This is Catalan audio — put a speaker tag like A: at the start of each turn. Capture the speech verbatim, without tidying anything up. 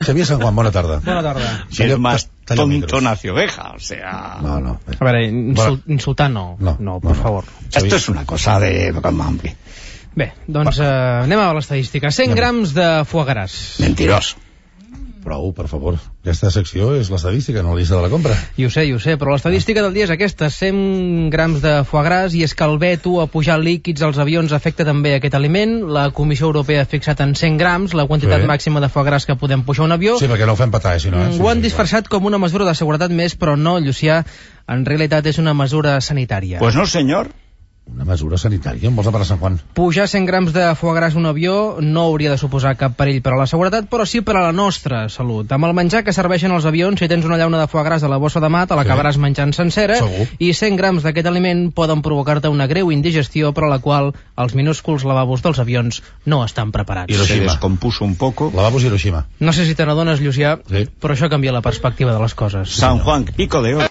A: Xavier San Juan, bona tarda.
B: Bona tarda.
C: Si es más tonto nació oveja, o sea...
A: No, no.
B: A veure, insul insultar no.
A: No,
B: no, per
A: no,
B: favor.
C: Esto es una cosa de...
B: Bé, doncs eh, anem a l'estadística. cent grams de foie gras.
C: Mentiroso.
A: Prou, per favor. Aquesta secció és l'estadística, no la llista de la compra.
B: I ho sé, i ho sé, però l'estadística del dia és aquesta, cent grams de foie gras, i és que el veto a pujar líquids als avions afecta també aquest aliment. La Comissió Europea ha fixat en cent grams la quantitat
A: Sí.
B: màxima de foie gras que podem pujar a un avió.
A: Sí, perquè no ho fem petar, eh, si no... Eh? Sí,
B: Ho han
A: sí,
B: disfressat com una mesura de seguretat més, però no, Llucià, en realitat és una mesura sanitària.
C: Pues no, señor.
A: Una mesura sanitària, en vols per a Sant Juan?
B: Pujar cent grams de foie gras a un avió no hauria de suposar cap perill per a la seguretat, però sí per a la nostra salut. Amb el menjar que serveixen als avions, si tens una llauna de foie gras a la bossa de mà, te l'acabaràs sí. menjant sencera,
A: Segur.
B: i cent grams d'aquest aliment poden provocar-te una greu indigestió, per a la qual els minúsculs lavabos dels avions no estan preparats.
C: Se descompuso un poco.
A: Lavabos Hiroshima.
B: No sé si te n'adones, Llucià,
A: Sí.
B: però això canvia la perspectiva de les coses.
C: San Juan, pico de oro.